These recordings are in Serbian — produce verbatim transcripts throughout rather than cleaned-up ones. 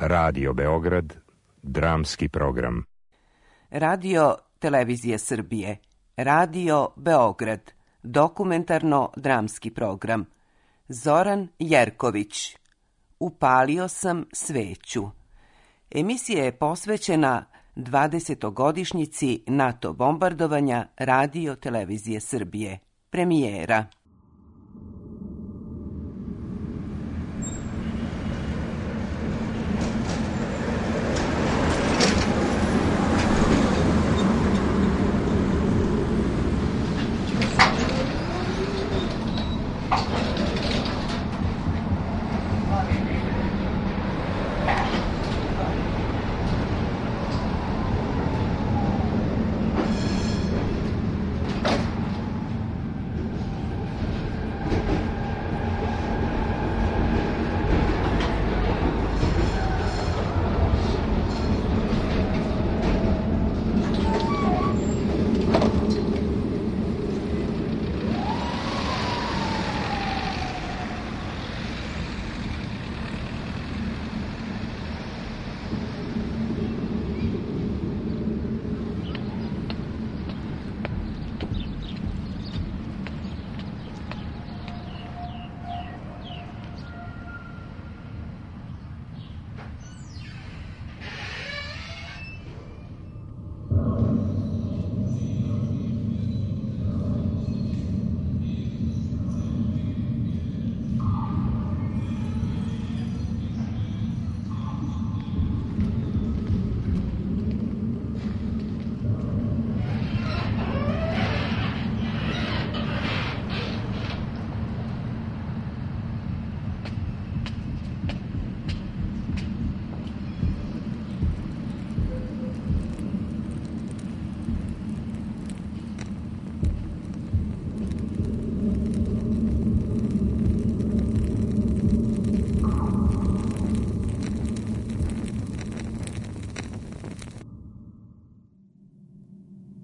Radio Beograd, dramski program. Radio Televizije Srbije, Radio Beograd, dokumentarno-dramski program. Zoran Jerković, Upalio sam sveću. Emisija je posvećena dvadesetogodišnjici NATO bombardovanja Radio Televizije Srbije. Premijera.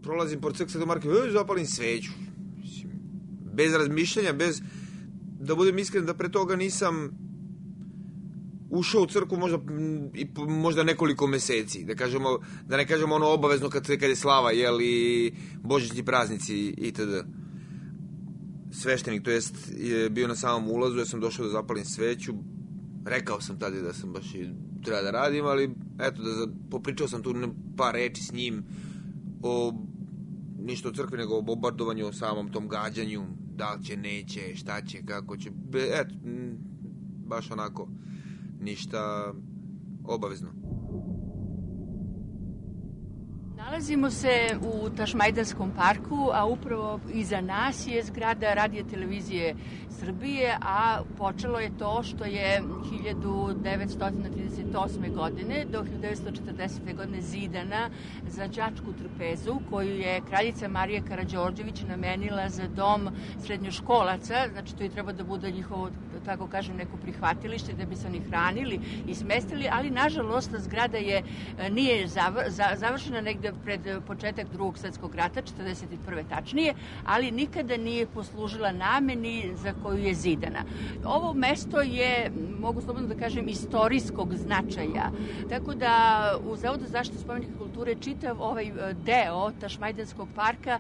Prolazim pored crkve Svetog Marka i zapalim sveću. Bez razmišljanja, bez... Da budem iskren da pre toga nisam ušao u crkvu možda, možda nekoliko meseci. Da, kažemo, da ne kažemo ono obavezno kad, kad je slava, jel, i božićni praznici itd. Sveštenik, to jest, je bio na samom ulazu, ja sam došao da zapalim sveću. Rekao sam tada da sam baš i treba da radim, ali eto, da popričao sam tu par reči s njim o ništa o crkvi, nego o bombardovanju, o samom tom gađanju, da li će, neće, šta će, kako će, eto, baš onako, ništa obavezno. Nalazimo se u Tašmajdanskom parku, a upravo iza nas je zgrada Radio Televizije Srbije, a počelo je to što je hiljadu devetsto trideset osme. godine do hiljadu devetsto četrdesete. godine zidana za đačku trpezu koju je kraljica Marija Karađorđević namenila za dom srednjoškolaca, znači to je treba da bude njihovo, tako kažem, neko prihvatilište da bi se oni hranili i smestili, ali nažalost zgrada je nije završena negde pred početak drugog svetskog rata, četrdeset prve tačnije, ali nikada nije poslužila nameni za koju je zidana. Ovo mesto je, mogu slobodno da kažem, istorijskog značaja, tako da u Zavodu za zaštitu spomenika kulture čitav ovaj deo Tašmajdanskog parka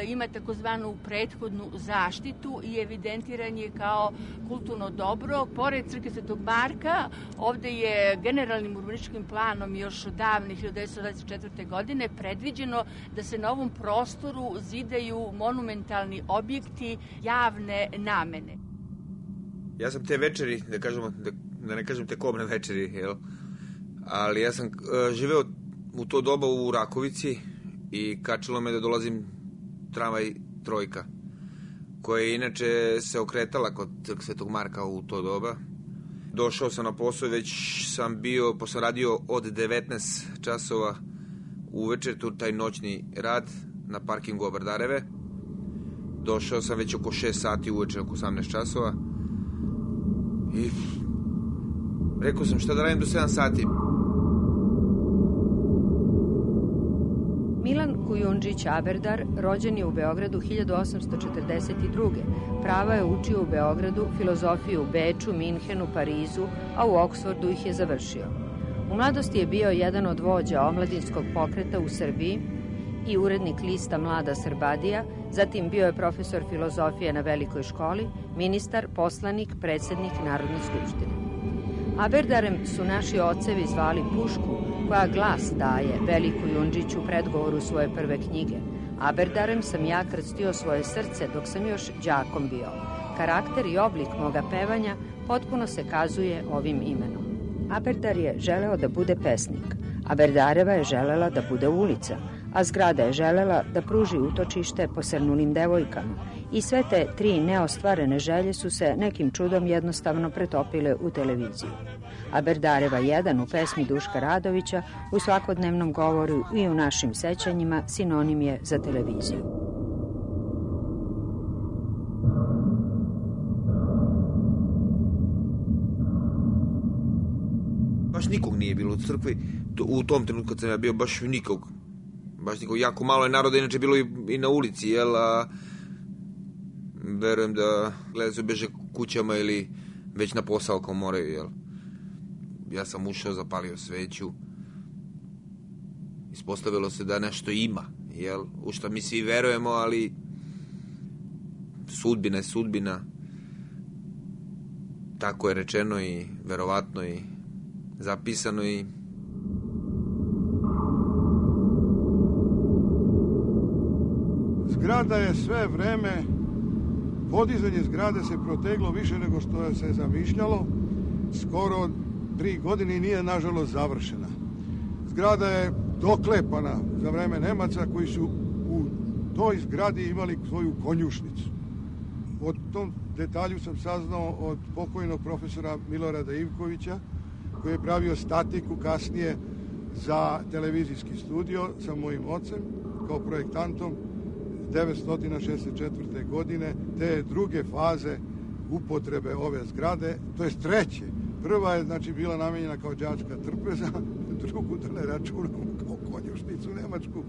ima takozvanu prethodnu zaštitu i evidentiran je kao kulturno dobro. Pored crkve Svetog Marka, ovde je generalnim urbanističkim planom još davne hiljadu devetsto dvadeset četvrte. godine predviđeno da se na ovom prostoru zidaju monumentalni objekti javne namene. Ja sam te večeri, da kažemo, da, da ne kažem te kobne večeri, jel? Ali ja sam uh, živeo u to doba u Rakovici i kačilo me da dolazim tramvaj trojka, koja je inače se okretala kod Svetog Marka u to doba. Došao sam na posao, već sam bio, posle sam radio od devetnaest časova uveče, tu taj noćni rad na parkingu Obardareve. Došao sam već oko šest sati uveče, oko osamnaest časova. I rekao sam šta da radim do sedam sati. Milan Kujundžić Aberdar rođen je u Beogradu hiljadu osamsto četrdeset druge. Prava je učio u Beogradu, filozofiju u Beču, Minhenu, Parizu, a u Oksfordu ih je završio. U mladosti je bio jedan od vođa omladinskog pokreta u Srbiji i urednik lista Mlada Srbadija, zatim bio je profesor filozofije na Velikoj školi, ministar, poslanik, predsednik Narodne skupštine. Aberdarem su naši ocevi zvali pušku koja glas daje Veliku Jundžiću u predgovoru svoje prve knjige. Aberdarem sam ja krstio svoje srce dok sam još đakom bio. Karakter i oblik moga pevanja potpuno se kazuje ovim imenom. Aberdar je želeo da bude pesnik, Aberdareva je želela da bude ulica, a zgrada je želela da pruži utočište posrnulim devojkama. I sve te tri neostvarene želje su se nekim čudom jednostavno pretopile u televiziju. Aberdareva jedan u pesmi Duška Radovića, u svakodnevnom govoru i u našim sećanjima sinonim je za televiziju. Baš nikog nije bilo u crkvi, u tom trenutku kad sam ja bio, baš nikog. Baš nikog, jako malo je naroda, inače bilo i, i na ulici, jel, a verujem da gledaju se beže kućama ili već na posao kao moraju, jel. Ja sam ušao, zapalio sveću, ispostavilo se da nešto ima, jel, u što mi svi verujemo, ali sudbina je sudbina, tako je rečeno i verovatno i zapisano i zgrada je sve vreme, podizanje zgrade se proteglo više nego što je se zamišljalo, skoro tri godine i nije nažalost završena. Zgrada je doklepana za vreme Nemaca koji su u toj zgradi imali svoju konjušnicu. O tom detalju sam saznao od pokojnog profesora Milorada Ivkovića, koji je pravio statiku kasnije za televizijski studio sa mojim ocem kao projektantom devetsto šezdeset četvrte. godine, te druge faze upotrebe ove zgrade, to je treće. Prva je znači bila namenjena kao đačka trpeza, drugu da ne računamo kao konjušnicu nemačku,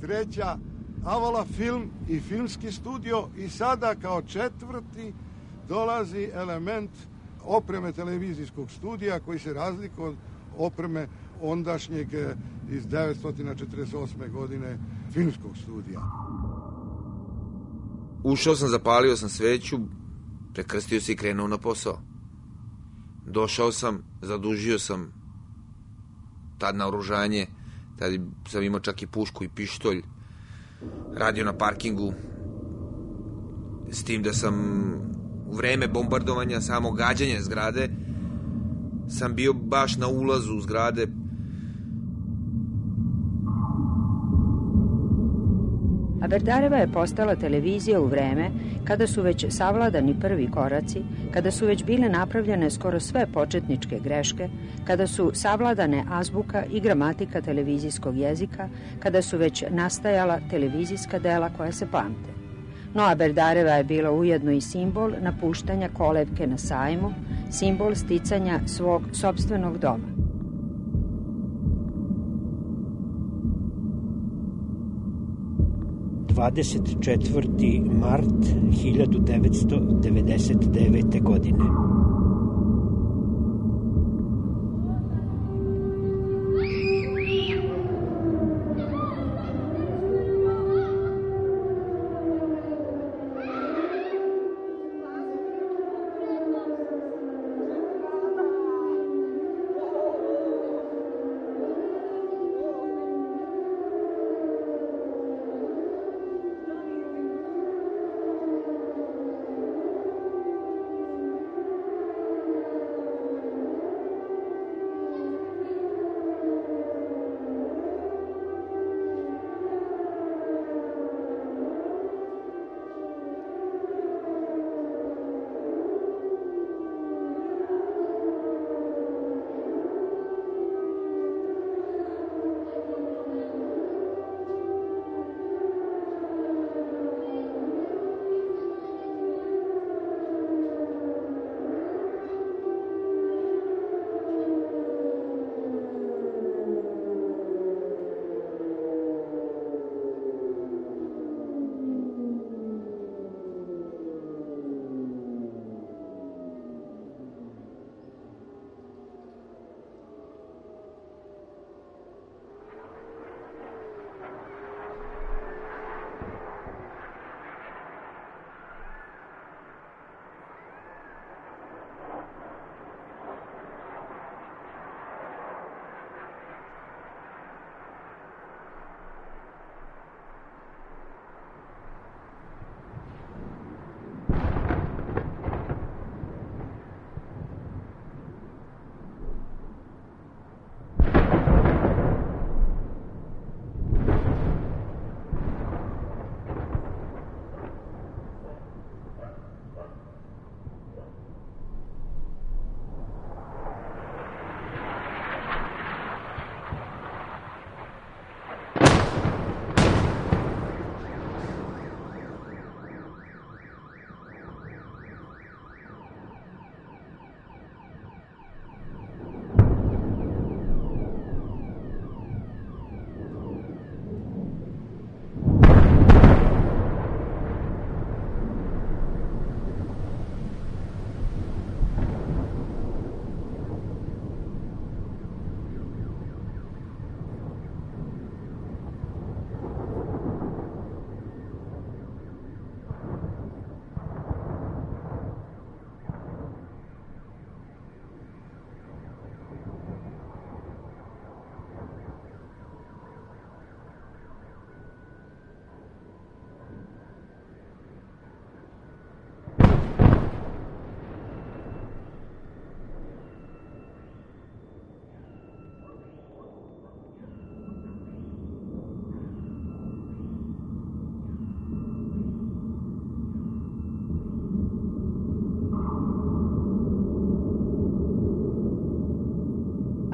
treća Avala film i filmski studio i sada kao četvrti dolazi element opreme televizijskog studija koji se razlikuje od opreme ondašnjeg iz devetsto četrdeset osme. godine filmskog studija. Ušao sam, zapalio sam sveću, prekrstio se i krenuo na posao. Došao sam, zadužio sam tad naoružanje, tad sam imao čak i pušku i pištolj, radio na parkingu, s tim da sam u vreme bombardovanja, samo gađanja zgrade, sam bio baš na ulazu zgrade. Aberdareva je postala televizija u vreme kada su već savladani prvi koraci, kada su već bile napravljene skoro sve početničke greške, kada su savladane azbuka i gramatika televizijskog jezika, kada su već nastajala televizijska dela koja se pamte. No Aberdareva je bila ujedno i simbol napuštanja kolevke na sajmu, simbol sticanja svog sopstvenog doma. dvadeset četvrti mart hiljadu devetsto devedeset devete. godine.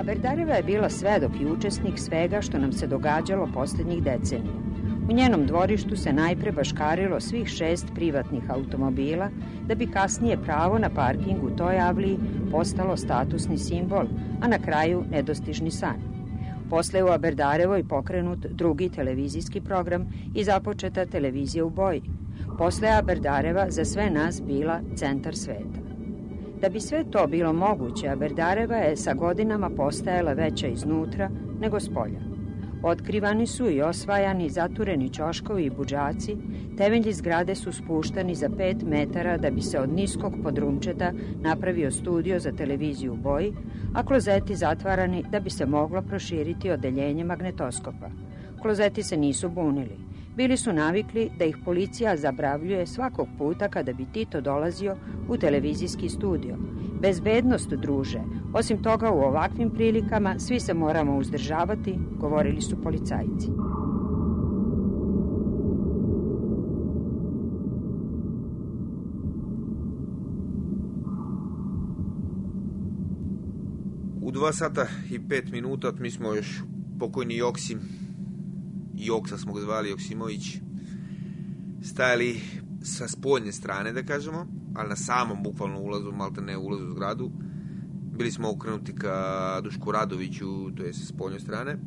Aberdareva je bila svedok i učesnik svega što nam se događalo poslednjih decenija. U njenom dvorištu se najpre baškarilo svih šest privatnih automobila, da bi kasnije pravo na parking u toj avliji postalo statusni simbol, a na kraju nedostižni san. Posle je u Aberdarevoj pokrenut drugi televizijski program i započeta televizija u boji. Posle je Aberdareva za sve nas bila centar sveta. Da bi sve to bilo moguće, Aberdareva je sa godinama postajala veća iznutra nego spolja. Otkrivani su i osvajani zatureni ćoškovi i budžaci, temelji zgrade su spuštani za pet metara da bi se od niskog podrumčeta napravio studio za televiziju u boji, a klozeti zatvarani da bi se moglo proširiti odeljenje magnetoskopa. Klozeti se nisu bunili. Bili su navikli da ih policija zabravljuje svakog puta kada bi Tito dolazio u televizijski studio. Bezbednost, druže. Osim toga, u ovakvim prilikama svi se moramo uzdržavati, govorili su policajci. U dva sata i pet minuta mi smo još pokojni Joksim, Joksa smo ga zvali, Joksimović, stajali sa spoljne strane, da kažemo, ali na samom bukvalno ulazu, malte ne ulazu u zgradu. Bili smo okrenuti ka Dušku Radoviću, to je sa spoljne strane.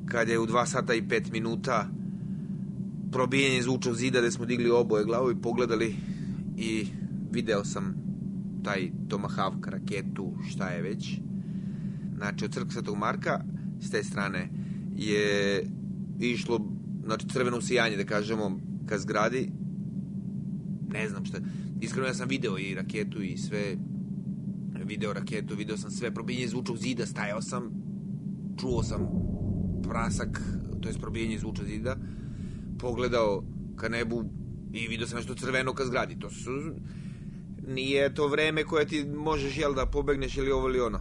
Kad je u dva sata i pet minuta probijenje zvučao zida gde smo digli oboje glavu i pogledali i video sam taj Tomahawk raketu, šta je već. Znači, od crkve Svetog Marka, s te strane, je išlo, znači, crveno sijanje, da kažemo, ka zgradi. Ne znam šta. Iskreno, ja sam video i raketu i sve. Video raketu, video sam sve. Probijenje zvučnog zida, stajao sam. Čuo sam prasak, to je probijenje zvučnog zida. Pogledao ka nebu i video sam nešto crveno ka zgradi. To su... Nije to vreme koje ti možeš, jel, da pobegneš ili ovo ili ono.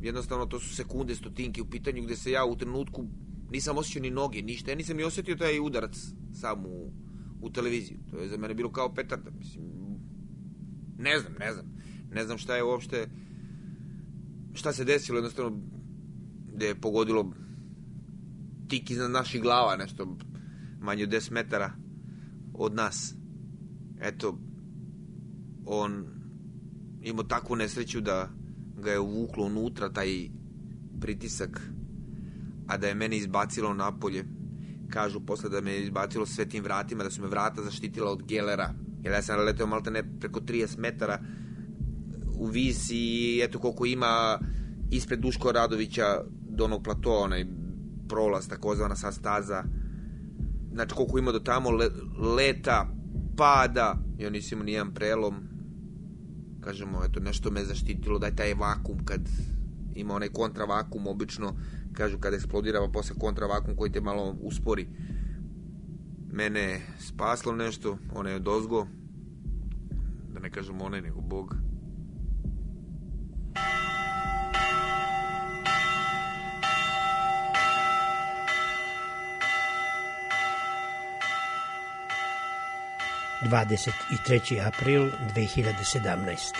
Jednostavno, to su sekunde, stotinke u pitanju gde se ja u trenutku nisam osjećao ni noge, ništa. Ja nisam ni osjetio taj udarac sam u, u televiziju. To je za mene bilo kao petarda. Mislim, ne znam, ne znam. Ne znam šta je uopšte, šta se desilo, jednostavno, gde je pogodilo tik iznad naših glava, nešto manje od deset metara od nas. Eto, on imao takvu nesreću da ga je uvuklo unutra, taj pritisak, a da je mene izbacilo napolje. Kažu posle da me je izbacilo sve tim vratima, da su me vrata zaštitila od gelera, jer ja sam leteo malte ne preko trideset metara u vis i eto koliko ima ispred Duško Radovića do onog platoa, onaj prolaz, takozvana sa staza. Znači koliko ima do tamo, le, leta, pada, ja nisam imao nijedan prelom. Kažemo, eto, nešto me zaštitilo, daj taj vakum, kad ima onaj kontravakum, obično, kažu, kad eksplodira, pa posle kontravakum koji te malo uspori. Mene je spaslo nešto, ona je odozgo, da ne kažem ona, nego Bog. dvadeset treći april dve hiljade sedamnaeste.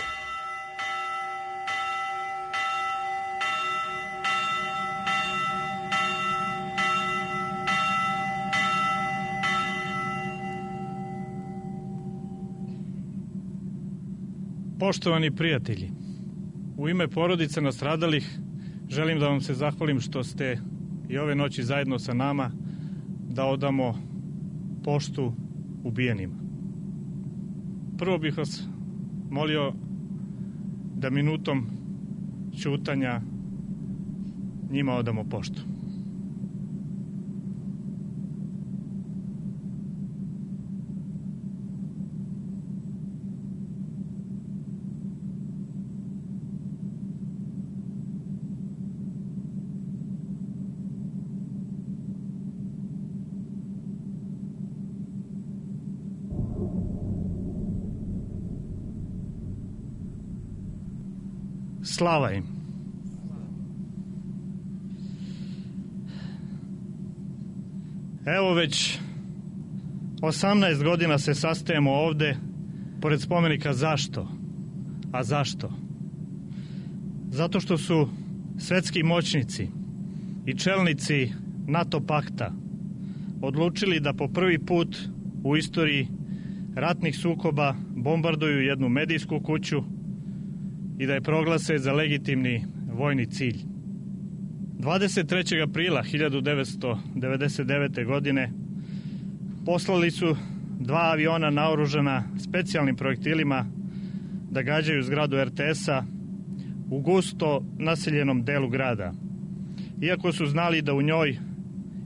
Poštovani prijatelji, u ime porodice nastradalih želim da vam se zahvalim što ste i ove noći zajedno sa nama da odamo poštu ubijenima. Prvo bih vas molio da minutom ćutanja njima odamo poštu. Slava im. Evo već osamnaest godina se sastajemo ovde pored spomenika. Zašto? A zašto? Zato što su svetski moćnici i čelnici NATO pakta odlučili da po prvi put u istoriji ratnih sukoba bombarduju jednu medijsku kuću i da je proglase za legitimni vojni cilj. dvadeset trećeg aprila hiljadu devetsto devedeset devete. godine poslali su dva aviona naoružana specijalnim projektilima da gađaju zgradu er te esa u gusto naseljenom delu grada. Iako su znali da u njoj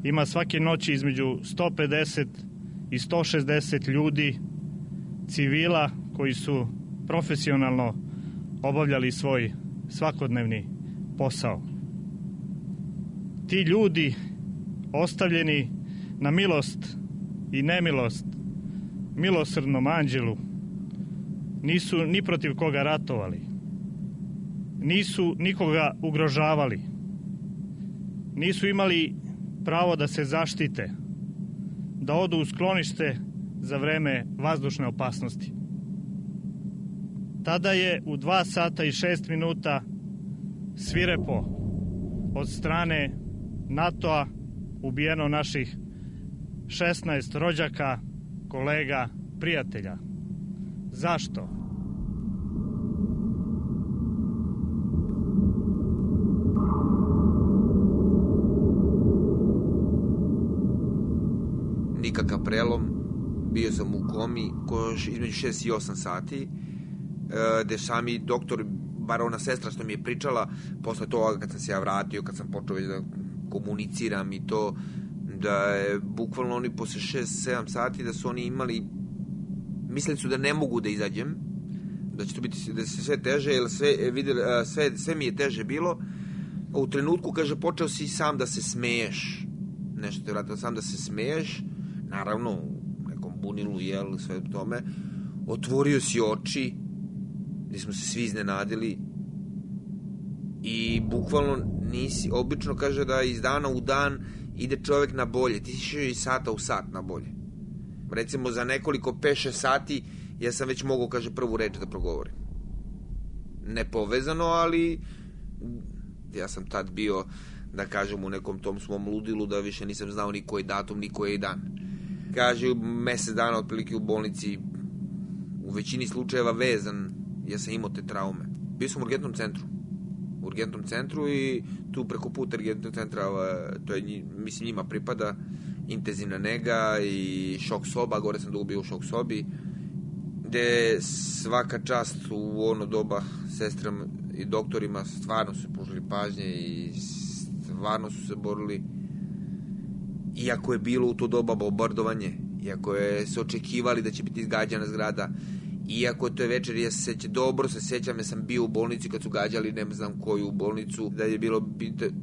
ima svake noći između sto pedeset i sto šezdeset ljudi, civila koji su profesionalno obavljali svoj svakodnevni posao. Ti ljudi, ostavljeni na milost i nemilost milosrdnom anđelu, nisu ni protiv koga ratovali, nisu nikoga ugrožavali, nisu imali pravo da se zaštite, da odu u sklonište za vreme vazdušne opasnosti. Tada je u dva sata i šest minuta svirepo od strane NATO-a ubijeno naših šesnaest rođaka, kolega, prijatelja. Zašto? Nikakav prelom, bio sam u komi koš između šest i osam sati, gde sami doktor, bar ona sestra što mi je pričala, posle toga kad sam se ja vratio, kad sam počeo već da komuniciram i to, da je bukvalno oni posle šest sedam sati da su oni imali, mislili su da ne mogu da izađem, da će to biti, da se sve teže, jer sve, vidjeli, sve, sve mi je teže bilo. U trenutku, kaže, počeo si sam da se smeješ, nešto te vratilo, sam da se smeješ, naravno, u nekom bunilu, jel, sve tome, otvorio si oči, gdje smo se svi iznenadili i bukvalno nisi, obično kaže da iz dana u dan ide čovjek na bolje, ti si išao iz sata u sat na bolje. Recimo za nekoliko pet šest sati ja sam već mogao, kaže, prvu reč da progovorim. Nepovezano, ali ja sam tad bio, da kažem, u nekom tom svom ludilu da više nisam znao ni koji datum, ni koji dan. Kaže, mesec dana otprilike u bolnici, u većini slučajeva vezan, ja sam imao te traume. Bio sam u urgentnom centru. U urgentnom centru i tu preko puta urgentnog centra, to je, mislim, njima pripada intenzivna nega i šok soba, gore sam dugo bio u šok sobi, gde svaka čast u ono doba sestrama i doktorima stvarno su pružili pažnje i stvarno su se borili, iako je bilo u to doba bombardovanje, iako je se očekivali da će biti izgađana zgrada, iako je to večer, ja se sećam, dobro se sećam, ja sam bio u bolnici kad su gađali, ne znam koju bolnicu, da je bilo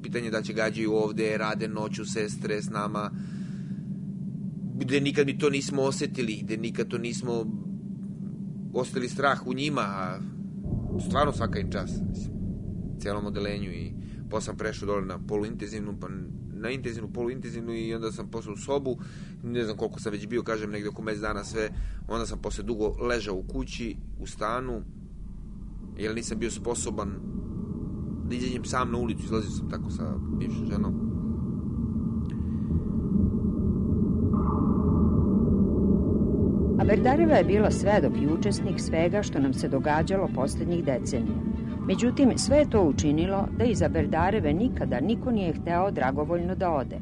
pitanje da će gađaju ovde, rade noću sestre s nama, gde nikad mi to nismo osetili, gde nikad to nismo osetili strah u njima, a stvarno svaka im čas, mislim, cijelom odelenju. I posle sam prešao dole na poluintenzivnu, pa na intenzivnu, poluintenzivnu i onda sam posle u sobu, ne znam koliko sam već bio, kažem, negde oko mesec dana sve, onda sam posle dugo ležao u kući, u stanu, jer nisam bio sposoban da izađem sam na ulicu, izlazio sam tako sa bivšom ženom. Aberdareva je bila svedok i učesnik svega što nam se događalo poslednjih decenija. Međutim, sve je to učinilo da iz Aberdareve nikada niko nije hteo dragovoljno da ode.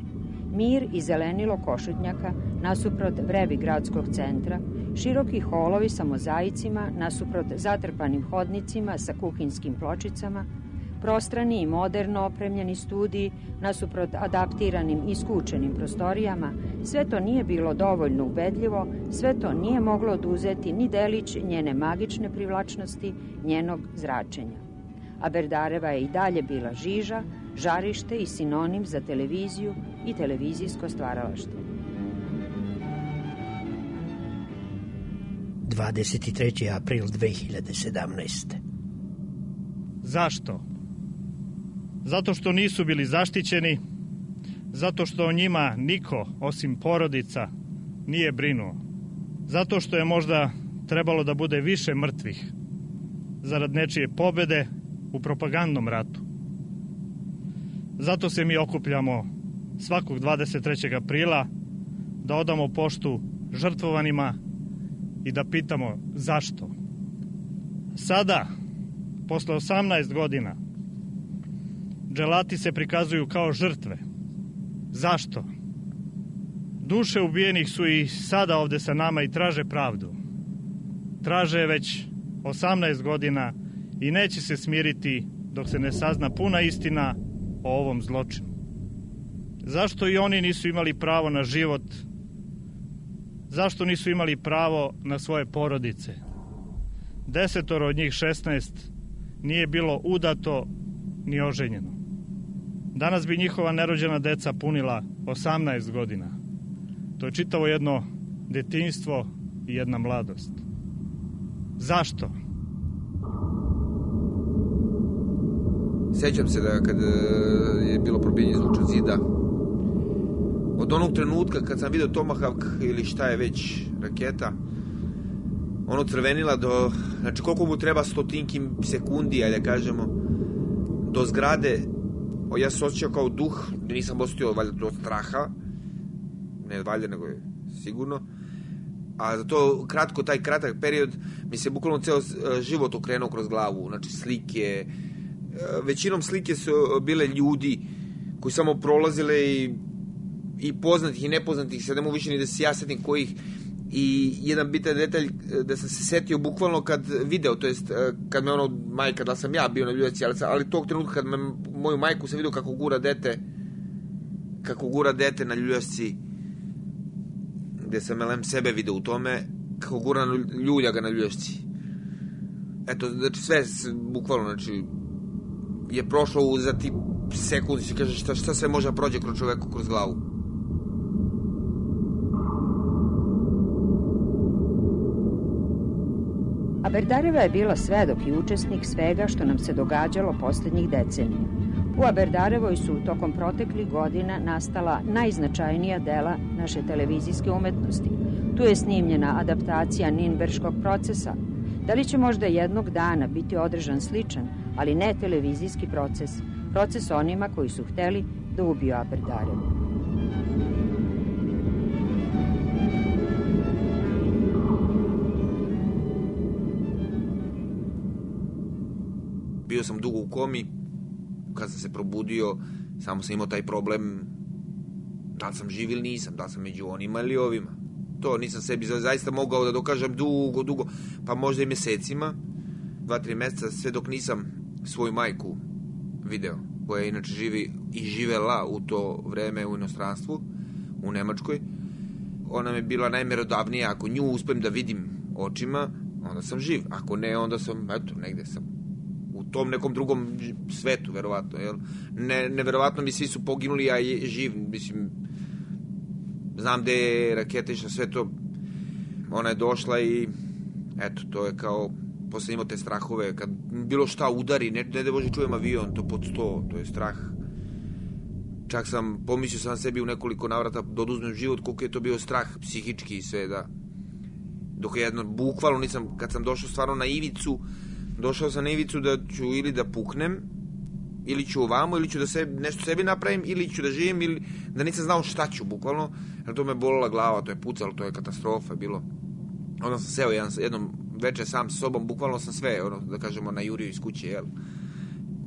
Mir i zelenilo Košutnjaka nasuprot vrevi gradskog centra, široki holovi sa mozaicima nasuprot zatrpanim hodnicima sa kuhinskim pločicama, prostrani i moderno opremljeni studiji nasuprot adaptiranim i skučenim prostorijama, sve to nije bilo dovoljno ubedljivo, sve to nije moglo oduzeti ni delić njene magične privlačnosti, njenog zračenja. Aberdareva je i dalje bila žiža, žarište i sinonim za televiziju i televizijsko stvaralaštvo. dvadeset treći april dve hiljade sedamnaeste. Zašto? Zato što nisu bili zaštićeni, zato što o njima niko, osim porodica, nije brinuo. Zato što je možda trebalo da bude više mrtvih zarad nečije pobede u propagandnom ratu. Zato se mi okupljamo svakog dvadeset trećeg aprila da odamo poštu žrtvovanima i da pitamo zašto. Sada, posle osamnaest godina, dželati se prikazuju kao žrtve. Zašto? Duše ubijenih su i sada ovde sa nama i traže pravdu. Traže već osamnaest godina i neće se smiriti dok se ne sazna puna istina o ovom zločinu. Zašto i oni nisu imali pravo na život? Zašto nisu imali pravo na svoje porodice? Desetoro od njih šesnaest nije bilo udato ni oženjeno. Danas bi njihova nerođena deca punila osamnaest godina. To je čitavo jedno detinjstvo i jedna mladost. Zašto? Sećam se da kad je bilo probijanje zvučnog zida, od onog trenutka kad sam vidio Tomahawk ili šta je već raketa, ono crvenila do, znači koliko mu treba stotinki sekundi, ajde kažemo, do zgrade, o, ja sam osjećao kao duh, nisam osjetio valjda do straha, ne valjda nego je sigurno, a za to kratko, taj kratak period mi se bukvalno ceo život okrenuo kroz glavu, znači slike, većinom slike su bile ljudi koji samo prolazile i, i poznatih i nepoznatih, sad ne mogu više ni da se ja setim kojih, i jedan bitan detalj da sam se setio bukvalno kad video, to jest kad me ono majka, da sam ja bio na ljuljaci, ali, ali tog trenutka kad me, moju majku sam vidio kako gura dete kako gura dete na ljuljaci, gde sam elem sebe video u tome, kako gura ljulja ga na ljuljaci. Eto, znači sve bukvalno, znači je prošlo za ti sekundi, se kaže šta, šta sve može prođe kroz čoveku kroz glavu. Aberdareva je bila svedok i učesnik svega što nam se događalo poslednjih decenija. U Aberdarevoj su tokom proteklih godina nastala najznačajnija dela naše televizijske umetnosti. Tu je snimljena adaptacija Ninberškog procesa. Da li će možda jednog dana biti održan sličan, ali ne televizijski proces, proces onima koji su hteli da ubiju Aberdarevu? Bio sam dugo u komi, kad sam se probudio, samo sam imao taj problem da li sam živ ili nisam, da li sam među onima ili ovima. To nisam sebi zaista mogao da dokažem dugo, dugo, pa možda i mesecima, dva, tri meseca, sve dok nisam svoju majku video, koja inače živi i živela u to vreme u inostranstvu, u Nemačkoj. Ona mi je bila najmerodavnija, ako nju uspem da vidim očima, onda sam živ, ako ne, onda sam, eto, negde sam u tom nekom drugom svetu, verovatno, jel? Ne, neverovatno mi svi su poginuli, a je živ, mislim, znam gde je raketa išla, sve to, ona je došla i, eto, to je kao, posle imao te strahove, kad bilo šta udari, ne, ne da Bože čujem avion, to pod sto, to je strah. Čak sam, pomislio sam sebi u nekoliko navrata da oduzmem život, koliko je to bio strah, psihički i sve, da. Dok jedno, bukvalno nisam, kad sam došao stvarno na ivicu, došao sam na ivicu da ću ili da puknem, ili ću ovamo, ili ću da se, nešto sebi napravim, ili ću da živim, ili da nisam znao šta ću, bukvalno, jer to me bolila glava, to je pucalo, to je katastrofa bilo. Onda sam seo jedan, jednom večer sam s sobom, bukvalno sam sve, ono, da kažemo, najurio iz kuće, jel,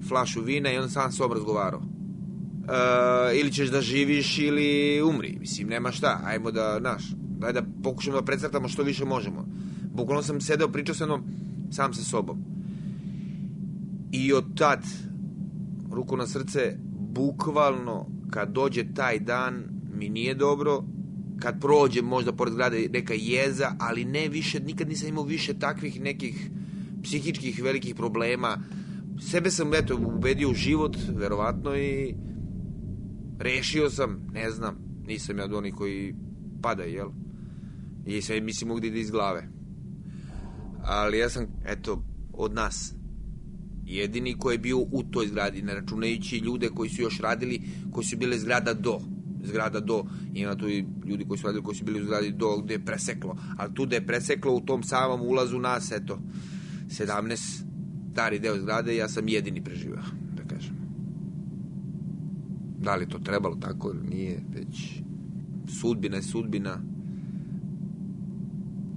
flašu vina i onda sam s sobom razgovarao. E, ili ćeš da živiš ili umri, mislim, nema šta, ajmo da, naš, daj da pokušamo da precrtamo što više možemo. Bukvalno sam sedeo, pričao sa jednom, sam sa sobom. I od tad, ruku na srce, bukvalno kad dođe taj dan mi nije dobro, kad prođe možda pored zgrade neka jeza, ali ne više, nikad nisam imao više takvih nekih psihičkih velikih problema. Sebe sam, eto, ubedio u život, verovatno, i rešio sam, ne znam, nisam ja od onih koji padaju, jel? I sve mislim mogu da ide iz glave. Ali ja sam, eto, od nas jedini koji je bio u toj zgradi, ne računajući ljude koji su još radili, koji su bile zgrada do zgrada do, ima tu i ljudi koji su radili, koji su bili u zgradi do, gde je preseklo, ali tu gde je preseklo u tom samom ulazu nas, eto, sedamnaest stari deo zgrade, ja sam jedini preživao, da kažem. Da li to trebalo tako ili nije, već sudbina je sudbina.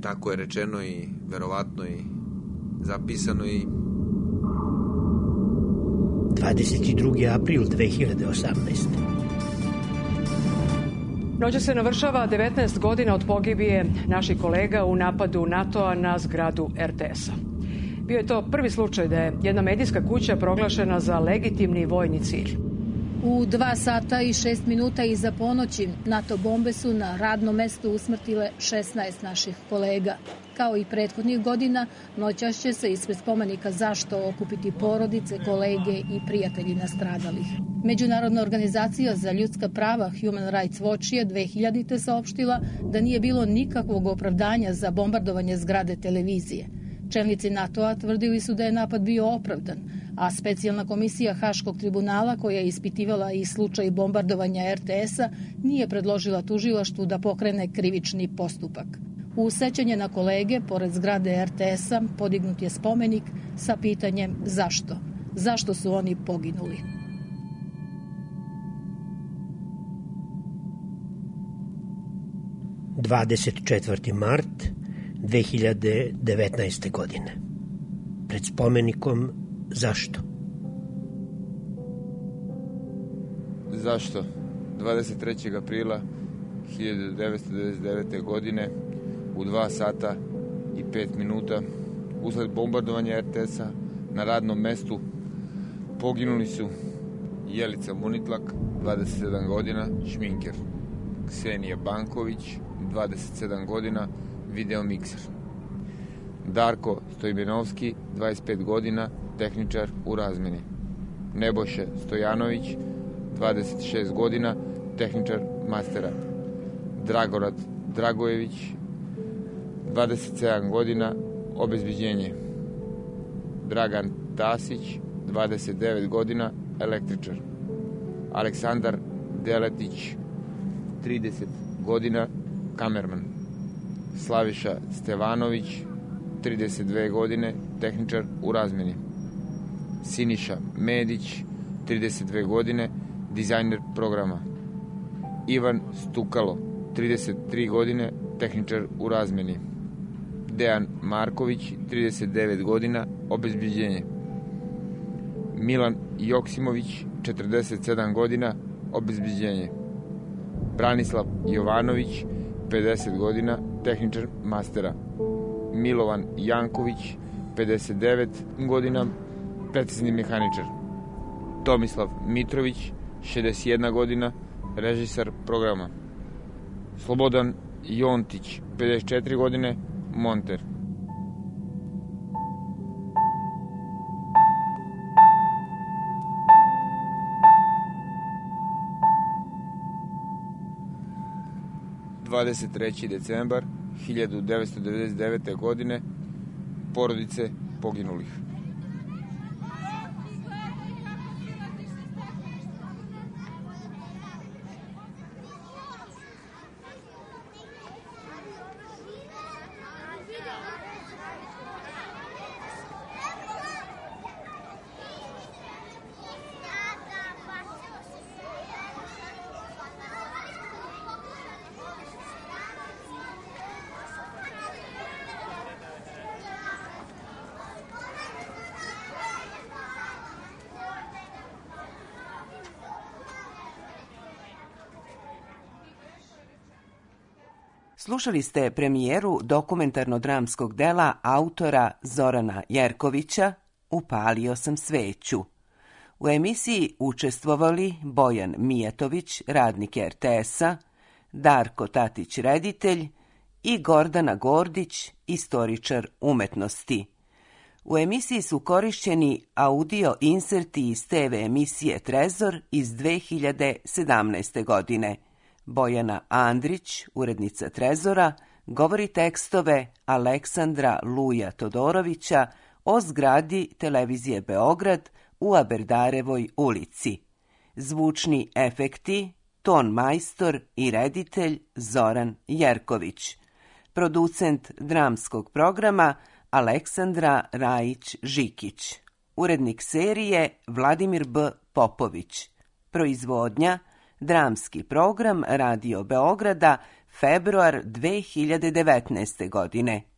Tako je rečeno i verovatno i zapisano i... dvadeset drugi april dve hiljade osamnaeste. Noća se navršava devetnaest godina od pogibije naših kolega u napadu NATO-a na zgradu er te es-a. Bio je to prvi slučaj da je jedna medijska kuća proglašena za legitimni vojni cilj. U dva sata i šest minuta iza ponoći NATO bombe su na radnom mestu usmrtile šesnaest naših kolega. Kao i prethodnih godina, noćas će se ispred spomenika Zašto okupiti porodice, kolege i prijatelji nastradalih. Međunarodna organizacija za ljudska prava Human Rights Watch je dve hiljadite saopštila da nije bilo nikakvog opravdanja za bombardovanje zgrade televizije. Čelnici NATO-a tvrdili su da je napad bio opravdan, a specijalna komisija Haškog tribunala koja je ispitivala i slučaj bombardovanja er te es-a nije predložila tužilaštvu da pokrene krivični postupak. U sećanje na kolege, pored zgrade er te es-a, podignut je spomenik sa pitanjem zašto? Zašto su oni poginuli? dvadeset četvrti mart dve hiljade devetnaeste. godine. Pred spomenikom Zašto? Zašto? dvadeset trećeg aprila hiljadu devetsto devedeset devete. godine u dva sata i pet minuta usled bombardovanja er te es-a na radnom mestu poginuli su Jelica Munitlak, dvadeset sedam godina, šminker, Ksenija Banković, dvadeset sedam godina, videomikser, Darko Stojmenovski, dvadeset pet godina, tehničar u razmeni, Nebojša Stojanović, dvadeset šest godina, tehničar mastera, Dragorad Dragojević, dvadeset sedam godina, obezbeđenje, Dragan Tasić, dvadeset devet godina, električar, Aleksandar Deletić, trideset godina, kamerman, Slaviša Stevanović, trideset dve godine, tehničar u razmeni, Siniša Medić, trideset dve godine, dizajner programa, Ivan Stukalo, trideset tri godine, tehničar u razmeni, Dejan Marković, trideset devet godina, obezbeđenje, Milan Joksimović, četrdeset sedam godina, obezbeđenje, Branislav Jovanović, pedeset godina, tehničar mastera, Milovan Janković, pedeset devet godina, precizni mehaničar, Tomislav Mitrović, šezdeset jedna godina, režisar programa, Slobodan Jontić, pedeset četiri godine, monter. dvadeset treći decembar hiljadu devetsto devedeset devete. godine, porodice poginulih. Slušali ste premijeru dokumentarno-dramskog dela autora Zorana Jerkovića Upalio sam sveću. U emisiji učestvovali Bojan Mijatović, radnik er te es-a, Darko Tatić, reditelj, i Gordana Gordić, istoričar umetnosti. U emisiji su korišćeni audio inserti iz te ve emisije Trezor iz dve hiljade sedamnaeste. godine. Bojana Andrić, urednica Trezora, govori tekstove Aleksandra Luja Todorovića o zgradi televizije Beograd u Aberdarevoj ulici. Zvučni efekti, ton majstor i reditelj Zoran Jerković. Producent dramskog programa Aleksandra Rajić-Žikić. Urednik serije Vladimir B. Popović. Proizvodnja Dramski program Radio Beograda, februar dve hiljade devetnaeste. godine.